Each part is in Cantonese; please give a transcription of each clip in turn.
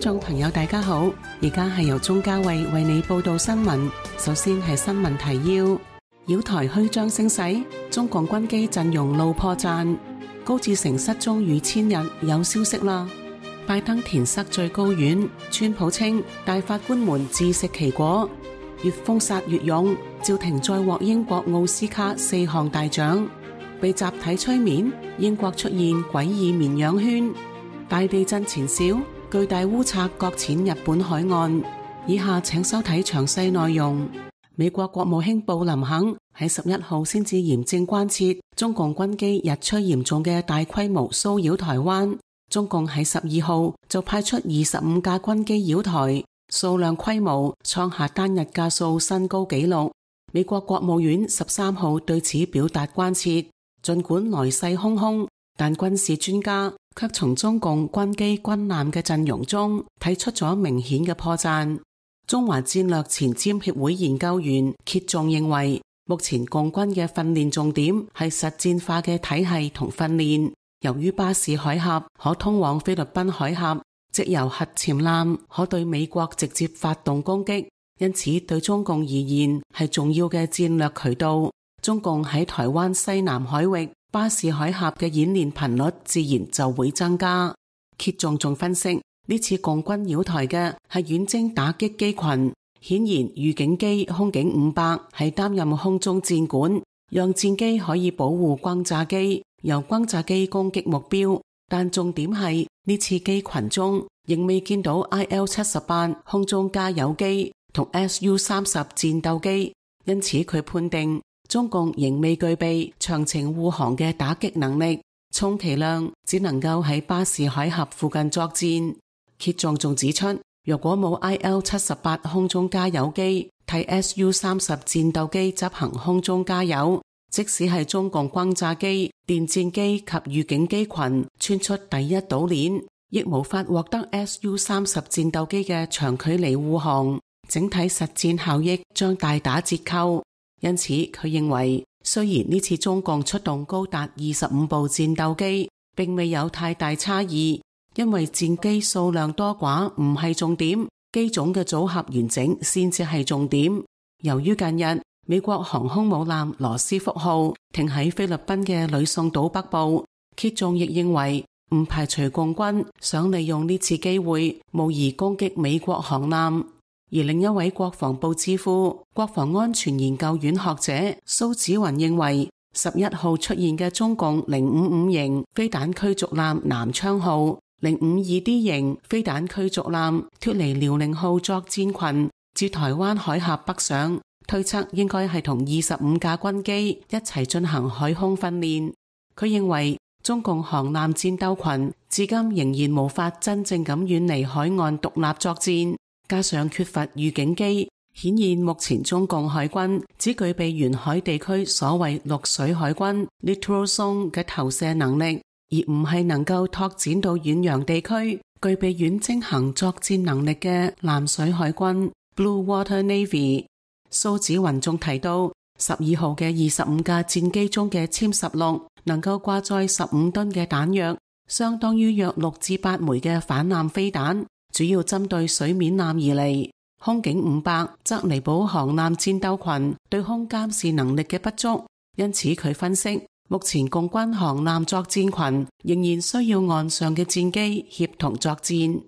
眾朋友大家好，而家係由鍾嘉慧為你報道新聞。首先係新聞提要：繞台虛張聲勢，中共軍機陣容露破綻；高志成失蹤逾千日，有消息啦。拜登填塞最高院，川普稱大法官們自食其果。越封殺越勇，趙婷再獲英國奧斯卡4項大獎。被集體催眠，英國出現詭異綿羊圈。大地震前兆，巨大烏賊擱淺日本海岸。以下請收睇詳細內容。美國國務卿布林肯喺11號先至嚴正關切中共軍機日趨嚴重嘅大規模騷擾台灣。中共喺12號就派出25架軍機擾台，數量規模創下單日架數新高紀錄。美國國務院13號對此表達關切。盡管來勢洶洶，但軍事專家卻從中共軍機軍艦嘅陣容中睇出咗明顯嘅破綻。中華戰略前瞻協會研究員揭仲認為，目前共軍嘅訓練重點係實戰化嘅體系同訓練。由於巴士海峽可通往菲律賓海峽，藉由核潛艦可對美國直接發動攻擊，因此對中共而言係重要嘅戰略渠道。中共喺台灣西南海域巴士海峽嘅演練頻率自然就會增加。揭仲仲分析，呢次共軍擾台嘅係遠征打擊機群，顯然預警機空警500係擔任空中戰管，讓戰機可以保護轟炸機，由轟炸機攻擊目標。但重點係呢次機群中仍未見到 IL-78 空中加油機同 Su-30 戰鬥機，因此佢判定中共仍未具備長程護航嘅打擊能力，充其量只能夠喺巴士海峽附近作戰。揭仲仲指出，若果冇 IL-78 空中加油機替 Su-30 戰鬥機執行空中加油，即使係中共轟炸機、電戰機及預警機群穿出第一島鏈，亦無法獲得 Su-30 戰鬥機嘅長距離護航，整體實戰效益將大打折扣。因此，佢認為雖然呢次中共出動高達25部戰鬥機，並未有太大差異，因為戰機數量多寡唔係重點，機種嘅組合完整先至係重點。由於近日美國航空母艦羅斯福號停喺菲律賓嘅呂宋島北部，揭仲亦認為唔排除共軍想利用呢次機會模擬攻擊美國航艦。而另一位國防部智庫國防安全研究院學者蘇紫雲認為，11號出現嘅中共055型飛彈驅逐艦南昌號、052D 型飛彈驅逐艦脫離遼寧號作戰群至台灣海峽北上，推測應該係同25架軍機一齊進行海空訓練。佢認為中共航艦戰鬥群至今仍然無法真正咁遠離海岸獨立作戰，加上缺乏預警機，顯現目前中共海軍只具備沿海地區所謂陸水海軍 littoral zone 嘅投射能力，而唔係能夠拓展到遠洋地區具備遠征行作戰能力嘅藍水海軍 blue water navy。蘇紫雲仲提到，12號嘅25架戰機中嘅殲16能夠掛載15噸嘅彈藥，相當於約6至8枚嘅反艦飛彈，主要針對水面艦而嚟。空警500則彌補航艦戰鬥群對空監視能力嘅不足，因此佢分析，目前共軍航艦作戰群仍然需要岸上嘅戰機協同作戰。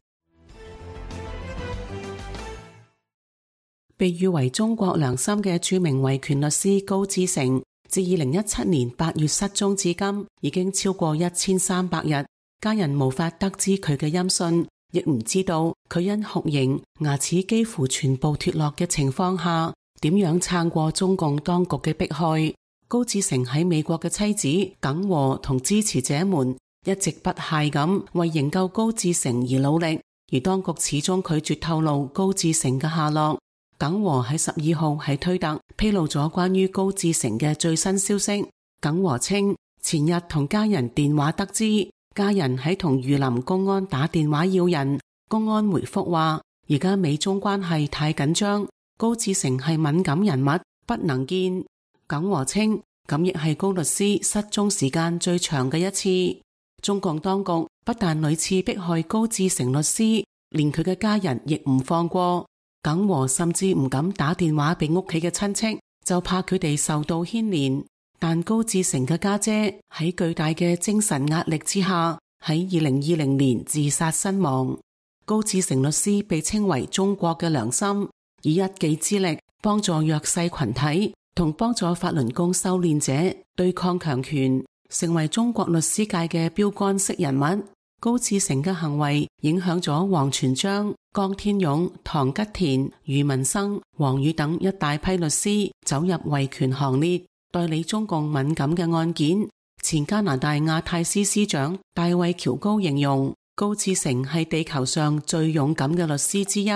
被譽為中國良心嘅著名維權律師高志成，自2017年8月失蹤至今，已經超過1300日，家人無法得知佢嘅音訊，亦唔知道佢因酷刑牙齒幾乎全部脫落嘅情況下，點樣撐過中共當局嘅迫害。高志成喺美國嘅妻子耿和同支持者們一直不懈咁為營救高志成而努力，而當局始終拒絕透露高志成嘅下落。耿和喺12號喺推特披露咗關於高志成嘅最新消息。耿和稱，前日同家人電話得知，家人喺同榆林公安打電話要人，公安回覆話，而家美中關係太緊張，高志成係敏感人物，不能見。耿和稱，咁亦係高律師失蹤時間最長嘅一次。中共當局不但屢次迫害高志成律師，連佢嘅家人亦唔放過。耿和甚至唔敢打電話俾屋企嘅親戚，就怕佢哋受到牽連。但高志成嘅家姐喺巨大嘅精神壓力之下，喺2020年自殺身亡。高志成律師被稱為中國嘅良心，以一己之力幫助弱勢群體同幫助法輪功修煉者對抗強權，成為中國律師界嘅標杆式人物。高志成嘅行為影響咗王全璋、江天勇、唐吉田、余文生、王宇等一大批律師走入維權行列，代理中共敏感嘅案件。前加拿大亞太司司長大衛喬高形容高志成係地球上最勇敢嘅律師之一。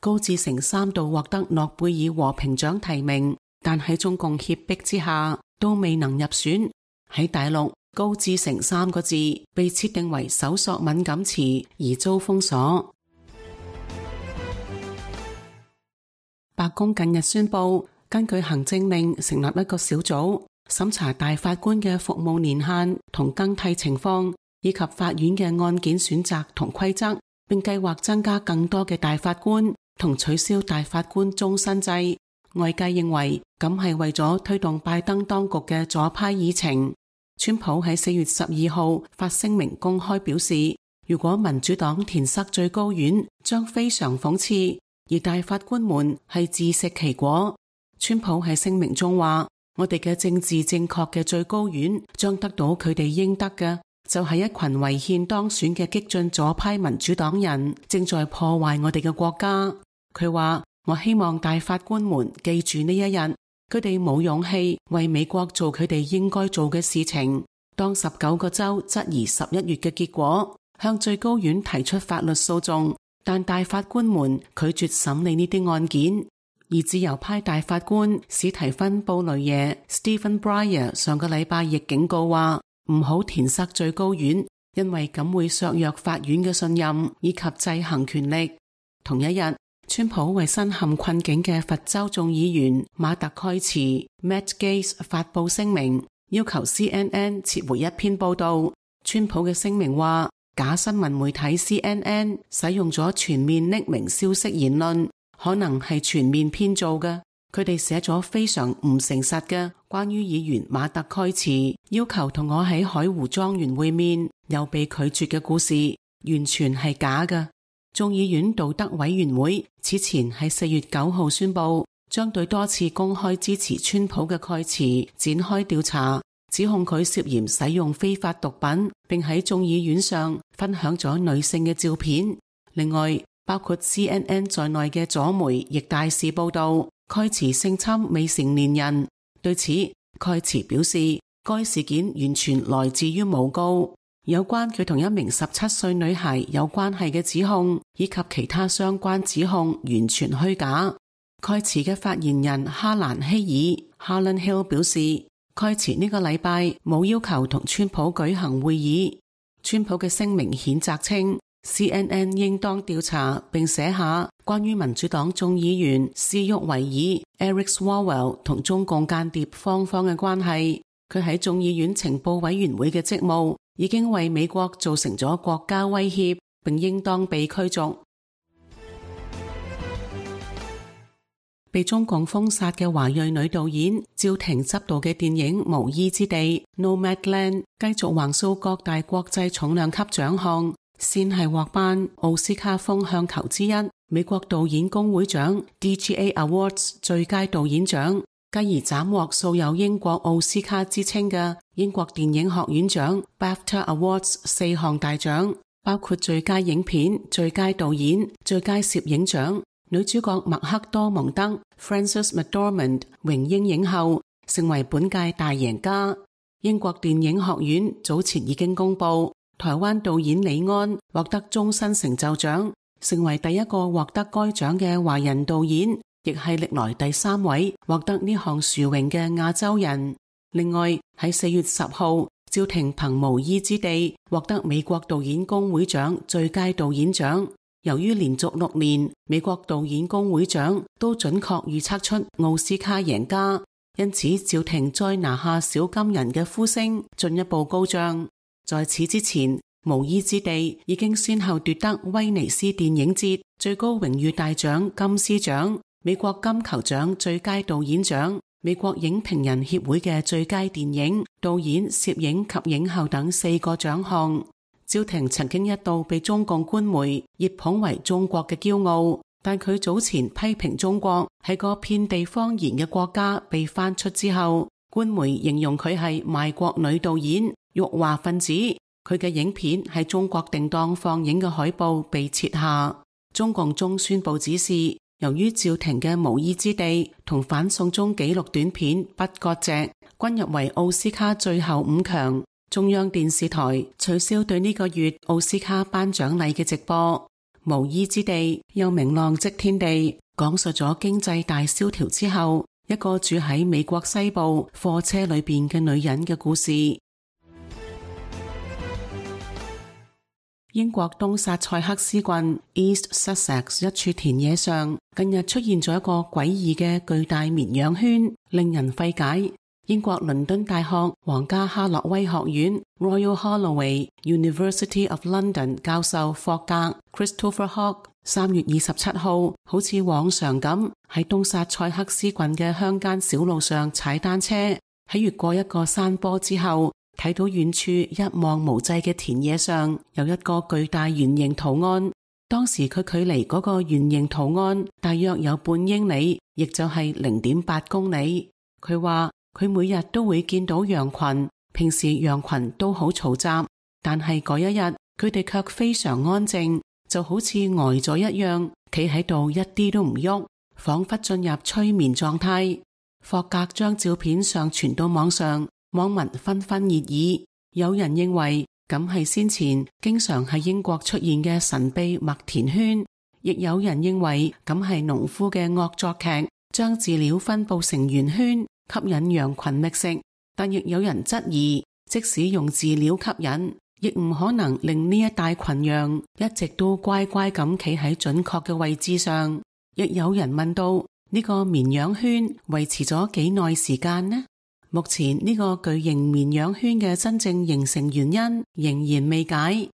高志成3度獲得諾貝爾和平獎提名，但喺中共脅迫之下都未能入選。喺大陸，高志成3個字被設定為搜索敏感詞而遭封鎖。白宮近日宣布，根據行政令成立一個小組，審查大法官嘅服務年限同更替情況，以及法院嘅案件選擇同規則，並計劃增加更多嘅大法官同取消大法官終身制。外界認為咁係為咗推動拜登當局嘅左派議程。川普喺4月12號發聲明公開表示，如果民主黨填塞最高院，將非常諷刺，而大法官們係自食其果。川普喺聲明中話，我哋嘅政治正確嘅最高院將得到佢哋應得嘅，就係一群違憲當選嘅激進左派民主黨人正在破壞我哋嘅國家。佢話，我希望大法官們記住呢一日，佢哋冇勇氣為美國做佢哋應該做嘅事情。當19個州質疑11月嘅結果，向最高院提出法律訴訟，但大法官們拒絕審理呢啲案件。而自由派大法官史提芬布雷耶 Stephen Breyer 上個禮拜亦警告話，唔好填塞最高院，因為咁會削弱法院嘅信任以及制衡權力。同一日，川普為身陷困境嘅佛州眾議員馬特蓋茨 Matt Gaetz 發佈聲明，要求 CNN 撤回一篇報道。川普嘅聲明話，假新聞媒體 CNN 使用咗全面匿名消息言論，可能係全面編造嘅。佢哋寫咗非常唔誠實嘅關於議員馬特蓋茨要求同我喺海湖莊園會面又被拒絕嘅故事，完全係假嘅。眾議院道德委員會此前喺4月9號宣布，將對多次公開支持川普嘅蓋茨展開調查，指控佢涉嫌使用非法毒品，並喺眾議院上分享咗女性嘅照片。另外，包括 CNN 在內嘅左媒亦大肆報道蓋茨性侵未成年人。對此，蓋茨表示，該事件完全來自於誣告。有關佢同一名17歲女孩有關係嘅指控，以及其他相關指控完全虛假。蓋茨嘅發言人哈蘭希爾 Harlan Hill 表示，蓋茨呢個禮拜冇要求同川普舉行會議。川普嘅聲明譴責稱，CNN 應當調查並寫下關於民主黨眾議員斯沃維爾 Eric Swalwell 同中共間諜方方嘅關係。佢喺眾議院情報委員會嘅職務已經為美國造成咗國家威脅，並應當被驅逐。被中共封殺嘅華裔女導演趙婷執導嘅電影《無依之地》（Nomadland） 繼續橫掃各大國際重量級獎項，先係獲頒奧斯卡風向球之一美國導演工會獎 DGA Awards 最佳導演獎，繼而斬獲素有英國奧斯卡之稱嘅英國電影學院獎 BAFTA Awards 4項大獎，包括最佳影片、最佳導演、最佳攝影獎。女主角麥克多蒙德 Frances McDormand 榮膺影后，成為本屆大贏家。英國電影學院早前已經公布，台灣導演李安獲得終身成就獎，成為第一個獲得該獎嘅華人導演，亦係歷來第3位獲得呢項殊榮嘅亞洲人。另外喺4月10號，趙婷憑《無依之地》獲得美國導演工會獎最佳導演獎。由於連續6年美國導演工會獎都準確預測出奧斯卡贏家，因此趙婷再拿下小金人嘅呼聲進一步高漲。在此之前，無依之地已經先後奪得威尼斯電影節最高榮譽大獎金獅獎、美國金球獎最佳導演獎、美國影評人協會嘅最佳電影、導演、攝影及影后等4個獎項。趙婷曾經一度被中共官媒熱捧為中國嘅驕傲，但佢早前批評中國係個遍地謊言嘅國家被翻出之後，官媒形容佢係賣國女導演、辱華分子。佢嘅影片喺中國定檔放映嘅海報被撤下。中共中宣部指示，由於趙婷嘅無依之地同反送中紀錄短片不割席均入圍奧斯卡最後5強，中央電視台取消對呢個月奧斯卡頒獎禮嘅直播。無依之地又名浪跡天地，講述咗經濟大蕭條之後一個住喺美國西部貨車裏邊嘅女人嘅故事。英國東薩塞克斯郡 East Sussex 一處田野上，近日出現咗一個詭異嘅巨大綿羊圈，令人費解。英國倫敦大學皇家哈洛威學院 Royal Holloway University of London 教授霍格 Christopher Hogg 3月27號好似往常咁喺東薩塞克斯郡嘅鄉間小路上踩單車，喺越過一個山坡之後，睇到遠處一望無際嘅田野上有一個巨大圓形圖案。當時佢距離嗰個圓形圖案大約有半英里，亦就係 0.8 公里。佢話佢每日都會見到羊群，平時羊群都好嘈雜，但係嗰一日佢哋卻非常安靜，就好似呆咗一樣，企喺度一啲都唔喐，仿佛進入催眠狀態。霍格將照片上傳到網上，網民紛紛熱議，有人認為咁係先前經常喺英國出現嘅神秘麥田圈，亦有人認為咁係農夫嘅惡作劇，將飼料分布成圓圈，吸引羊群覓食。但亦有人質疑，即使用飼料吸引，亦唔可能令呢一大群羊一直都乖乖咁企喺準確嘅位置上。亦有人問到，呢個綿羊圈維持咗幾耐時間呢？目前呢個巨型綿羊圈嘅真正形成原因仍然未解。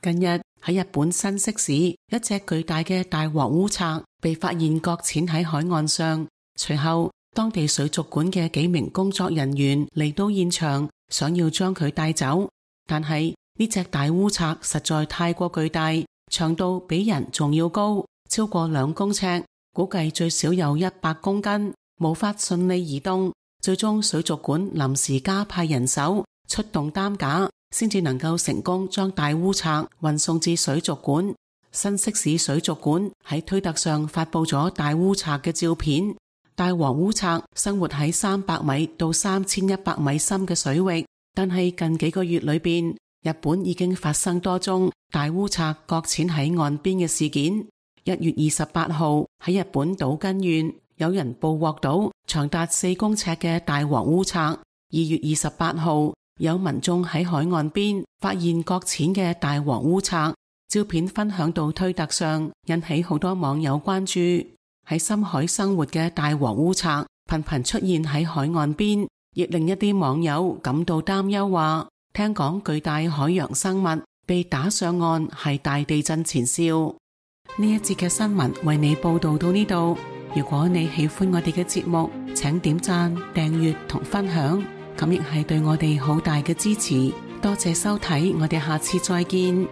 近日喺日本新潟市，一隻巨大嘅大和烏賊被發現擱淺喺海岸上，隨後當地水族館嘅幾名工作人員嚟到現場，想要將佢帶走，但係呢隻大烏賊實在太過巨大，長度比人仲要高，超過2公尺，估計最少有100公斤，無法順利移動。最終水族館臨時加派人手出動擔架，先至能夠成功將大烏賊運送至水族館。新潟市水族館喺推特上發佈咗大烏賊嘅照片。大和烏賊生活喺300米到3100米深嘅水域，但係近幾個月裏邊，日本已經發生多宗大烏賊擱淺喺岸邊嘅事件。1月28號喺日本島根縣，有人捕獲到長達4公尺嘅大和烏賊。2月28號，有民眾喺海岸邊發現擱淺嘅大和烏賊，照片分享到推特上，引起好多網友關注。喺深海生活嘅大和烏賊頻頻出現喺海岸邊，亦令一啲網友感到擔憂，話聽講巨大海洋生物被打上岸係大地震前兆。呢一節嘅新聞為你報道到呢度。如果你喜歡我哋嘅節目，請點讚、訂閱同分享，咁亦係對我哋好大嘅支持。多謝收睇，我哋下次再見。